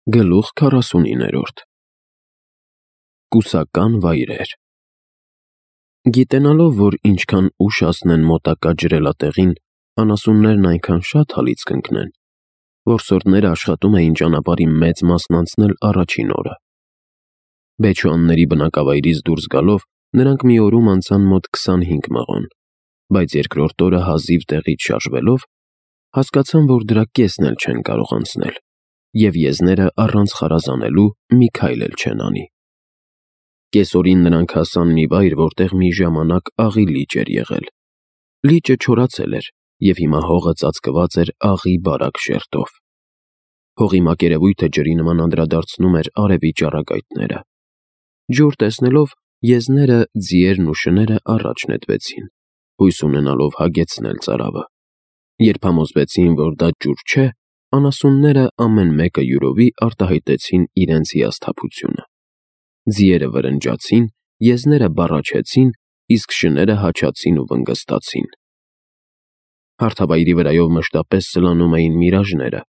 Գլուխ 49 Կուսական վայրեր։ Գիտենալով, որ ինչքան ուշ հասնեն մոտակա ջրելատեղին, անասուններն այնքան շատ հալից կընկնեն, որսորդները աշխատում էին ճանապարհի մեծ մասն անցնել առաջին օրը։ Բեչուանների բնակավայրից դուրս գալով, նրանք մի օրում անցան մոտ 25 մղոն, բայց երկրորդ օրը հազիվ տեղից շարժվելով, հասկացան, որ դրա կեսն էլ չեն կարող անցնել, և եզները առանց խարազանելու մի քայլ էլ չեն անի։ Կեսօրին նրանք հասան մի վայր, որտեղ մի ժամանակ աղի լիճ էր եղել։ Լիճը չորացել էր, և հիմա հողը ծածկված էր աղի բարակ շերտով։ Հողի մակերևույթը ջրի նման անդրադարձնում էր արևի ճառագայթները։ Ջուր տեսնելով, եզները, ձիերն ու շները առաջ նետվեցին, հույս ունենալով հագեցնել ծարավը։ Երբ համոզվեցին, որ դա ջուր չէ, անասունները ամեն մեկը յուրովի արտահայտեցին իրենց հիասթափությունը։ Ձիերը վրնջացին, եզները բառաչեցին, իսկ շները հաչացին ու վնգստացին։ Հարթավայրի վրայով մշտապես սլանում էին միրաժները,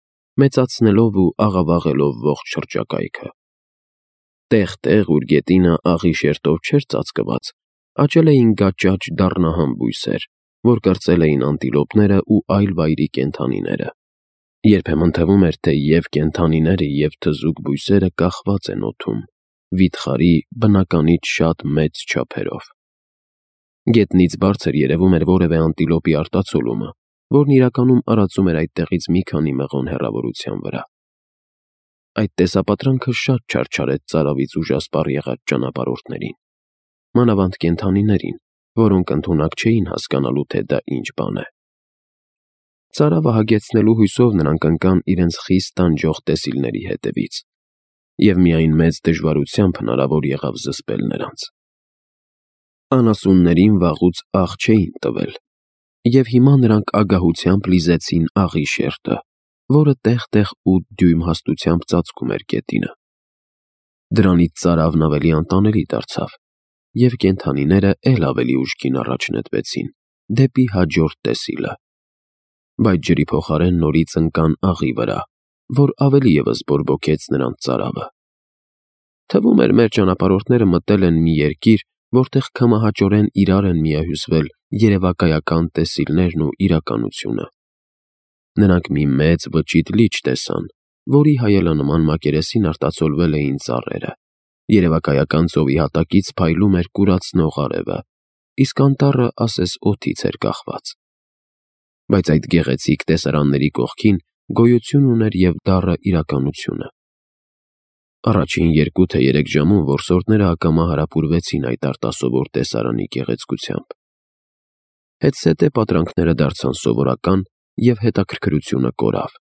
մեծացնելով ու աղավաղելով ողջ շրջակայքը։ Տեղ-տեղ, ուր գետինը աղի շերտով չէր ծածկված, աճել էին գաճաճ դառնահամ բույսեր, որ կրծել էին անտիլոպները ու այլ վայրի կենդանիները։ Երբեմն թվում էր, թե և կենդանիները, և թզուկ բույսերը կախված են օդում, վիթխարի բնականից շատ մեծ չափերով։ Գետնից բարձր երևում էր որևէ անտիլոպի արտացոլումը, որն իրականում արածում էր այդտեղից մի քանի մղոն հեռավորության վրա։ Այդ տեսապատրանքը շատ չարչարեց ծարավից ուժասպառ եղած ճանապարհորդներին, մանավանդ կենդանիներին, որոնք ընդունակ չէին հասկանալու, թե դա ինչ բան է։ Ծարավը հագեցնելու հույսով նրանք ընկան իրենց խիստ տանջող տեսիլների հետևից, և միայն մեծ դժվարությամբ հնարավոր եղավ զսպել նրանց։ Անասուններին վաղուց աղ չէին տվել, և հիմա նրանք ագահությամբ լիզեցին աղի շերտը, որը տեղ-տեղ 8 դյույմ հաստությամբ ծածկում էր գետինը։ Դրանից ծարավն ավելի անտանելի դարձավ, և կենդանիները էլ ավելի ուժգին առաջ նետվեցին, դեպի հաջորդ տեսիլը։ Բայց ջրի փոխարեն նորից ընկան աղի վրա, որ ավելի ևս բորբոքեց նրանց ծարավը։ Թվում էր, մեր ճանապարհորդները մտել են մի երկիր, որտեղ քմահաճորեն իրար են միահյուսվել երևակայական տեսիլներն ու իրականությունը։ Նրանք մի մեծ վճիտ լիճ տեսան, որի հայելանման մակերեսին արտացոլվել էին ծառերը։ Երևակայական ծովի հատակից փայլում էր կուրացնող արևը, իսկ անտառը ասես օդից էր կախված։ Բայց այդ գեղեցիկ տեսարանների կողքին գոյություն ուներ և դառը իրականությունը։ Առաջին 2 թե 3 ժամում որսորդները ակամա հարապուրվեցին այդ արտասովոր տեսարանի գեղեցկությամբ։ Հետզհետե պատրանքները դարձան սովորական, և հետաքրքրությունը կորավ։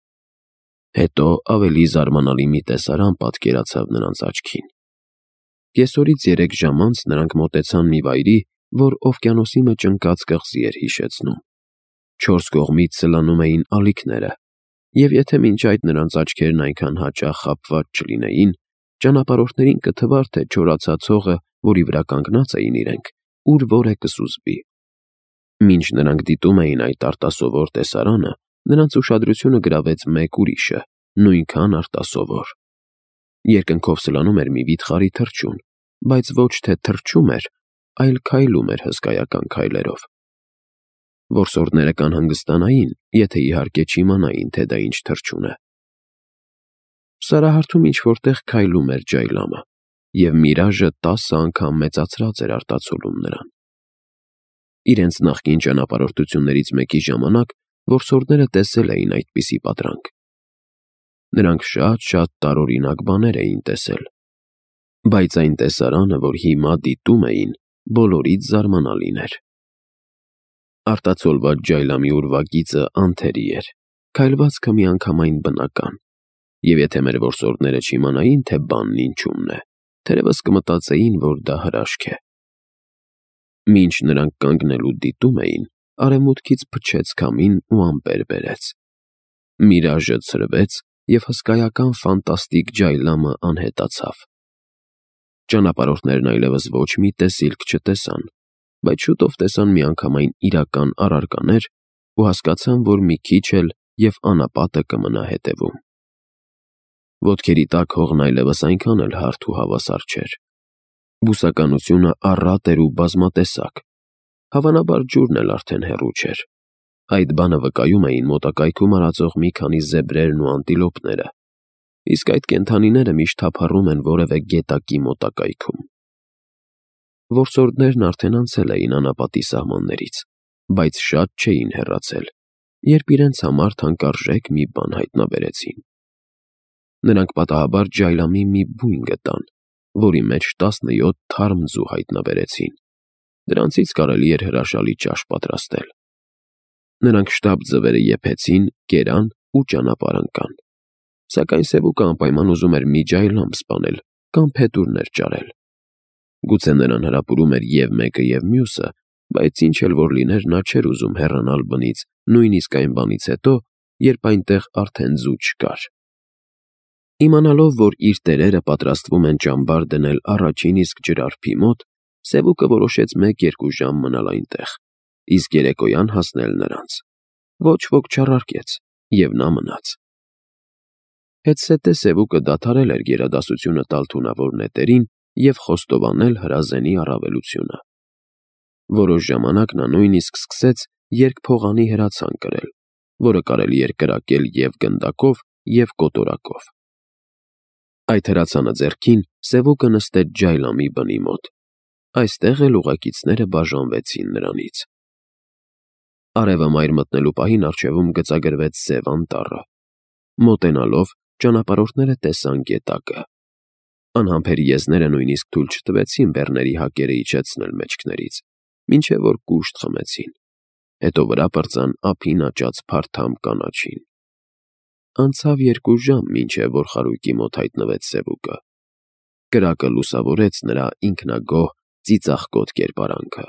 Հետո ավելի զարմանալի մի տեսարան պատկերացավ նրանց աչքին։ Կեսօրից 3 ժամ անց նրանք մոտեցան մի վայրի, որ օվկիանոսի մեջ ընկած կղզի էր հիշեցնում։ 4 կողմից սլանում էին ալիքները, և եթե մինչ այդ նրանց աչքերն այնքան հաճախ խաբված չլինեին, ճանապարհորդներին կթվար, թե չորացած հողը, որի վրա կանգնած էին իրենք, ուր որ է կսուզվի։ Մինչ նրանք դիտում էին այդ արտասովոր տեսարանը, նրանց ուշադրությունը գրավեց մեկ ուրիշը, նույնքան արտասովոր։ Երկնքով սլանում էր մի վիթխարի թռչուն, բայց ոչ թե թռչում էր, այլ քայլում էր հսկայական քայլերով։ Որսորդները կանհանգստանային, եթե իհարկե չիմանային, թե դա ինչ թռչուն է։ Սարահարթում ինչ-որ տեղ քայլում էր ջայլամը, և միրաժը 10 անգամ մեծացրած էր արտացոլում նրան։ Իրենց նախկին ճանապարհորդություններից մեկի ժամանակ որսորդները տեսել էին այդպիսի պատրանք։ Նրանք շատ տարօրինակ բաներ էին տեսել, բայց այն տեսարանը, որ հիմա դիտում էին, բոլորից զարմանալին էր։ Արտացոլված ջայլամի ուրվագիծը անթերի էր, քայլվածքը միանգամայն բնական, և եթե մեր որսորդները չիմանային, թե բանն ինչումն է, թերևս կմտածեին, որ դա հրաշք է։ Մինչ նրանք կանգնել ու դիտում էին, արևմուտքից փչեց քամին ու ամպեր բերեց։ Միրաժը ցրվեց, և հսկայական ֆանտաստիկ ջայլամը անհետացավ։ Ճանապարհորդներն այլևս ոչ մի տեսիլք չտեսան, բայց շուտով տեսան միանգամայն իրական առարկաներ ու հասկացան, որ մի քիչ էլ և անապատը կմնա հետևում։ Ոտքերի տակ հողն այլևս այնքան էլ հարթ ու հավասար չէր։ Բուսականությունը առատ էր ու բազմատեսակ։ Հավանաբար ջուրն էլ արդեն հեռու չէր։ Այդ բանը վկայում էին մոտակայքում արածող մի քանի զեբրերն ու անտիլոպները, իսկ այդ կենդանիները միշտ թափառում են որևէ գետակի մոտակայքում։ Որսորդներն արդեն անցել էին անապատի սահմաններից, բայց շատ չէին հեռացել, երբ իրենց համար թանկարժեք մի բան հայտնաբերեցին։ Նրանք պատահաբար ջայլամի մի բույն գտան, որի մեջ 17 թարմ ձու հայտնաբերեցին։ Դրանցից կարելի էր հրաշալի ճաշ պատրաստել։ Նրանք շտապ ձվերը եփեցին, կերան ու ճանապարհ ընկան։ Սակայն Սևուկը անպայման ուզում էր մի ջայլամ սպանել կամ փետուրներ ճարել։ Գուցե նրան հրապուրում էր և մեկը, և մյուսը, բայց ինչ էլ որ լիներ, նա չէր ուզում հեռանալ բնից, նույնիսկ այն բանից հետո, երբ այնտեղ արդեն ձու չկար։ Իմանալով, որ իր տերերը պատրաստվում են ճամբար դնել առաջին իսկ ջրարփի մոտ, Սևուկը որոշեց 1-2 ժամ մնալ այնտեղ, իսկ երեկոյան հասնել նրանց։ Ոչ ոք չառարկեց, և նա մնաց։ Հետզհետե Սևուկը դադարել էր գերադասությունը տալ թունավոր նետերին և խոստովանել հրազենի առավելությունը։ Որոշ ժամանակ նա նույնիսկ սկսեց երկփողանի հրացան կրել, որը կարելի էր կրակել և գնդակով, և կոտորակով։ Այդ հրացանը ձեռքին Սևուկը նստեց ջայլամի բնի մոտ։ Այստեղ էլ ուղեկիցները բաժանվեցին նրանից։ Արևը մայր մտնելու պահին առջևում գծագրվեց սև անտառը։ Մոտենալով, ճանապարհորդները տեսան գետակը։ Անհամբեր եզները նույնիսկ թույլ չտվեցին բեռների հակերը իջեցնել մեջքներից, մինչև որ կուշտ խմեցին։ Հետո վրա պրծան ափին աճած փարթամ կանաչին։ Անցավ 2 ժամ, մինչև որ խարույկի մոտ հայտնվեց Սևուկը։ Կրակը լուսավորեց նրա ինքնագոհ, ծիծաղկոտ կերպարանքը։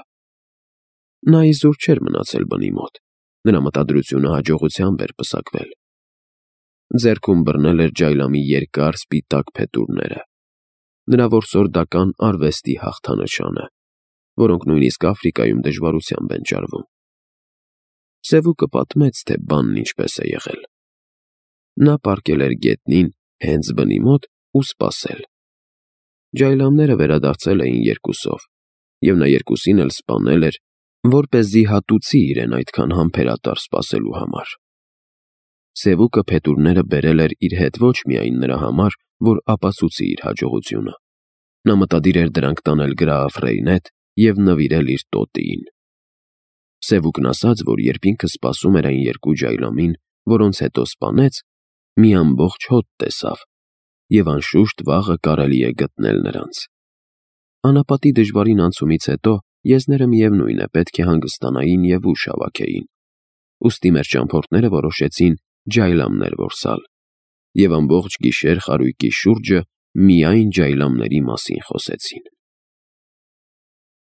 Նա իզուր չէր մնացել բնի մոտ։ Նրա մտադրությունը հաջողությամբ էր պսակվել։ Ձեռքում բռնել էր ջայլամի երկար սպիտակ փետուրները, նրա որսորդական արվեստի հաղթանշանը, որոնք նույնիսկ Աֆրիկայում դժվարությամբ են ճարվում։ Սևուկը պատմեց, թե բանն ինչպես է եղել։ Նա պառկել էր գետնին հենց բնի մոտ ու սպասել։ Ջայլամները վերադարձել էին երկուսով, և նա երկուսին էլ սպանել էր, որպեսզի հատուցի իրեն այդքան համբերատար սպասելու համար։ Սևուկը փետուրները բերել էր իր հետ ոչ միայն նրա համար, որ ապացուցի իր հաջողությունը։ Նա մտադիր էր դրանք տանել գրաֆ Ռեյնետ և նվիրել իր տոտիին։ Սևուկն ասաց, որ երբ ինքը սպասում էր այն 2 ջայլամին, որոնց հետո սպանեց, մի ամբողջ հոտ տեսավ, և անշուշտ վաղը կարելի է գտնել նրանց։ Անապատի դժվարին անցումից հետո եզները միևնույն է պետք է հանգստանային և ուժ հավաքեին։ Ուստի մեր ճամփորդները որոշեցին ջայլամներ որսալ, և ամբողջ գիշեր խարույկի շուրջը միայն ջայլամների մասին խոսեցին։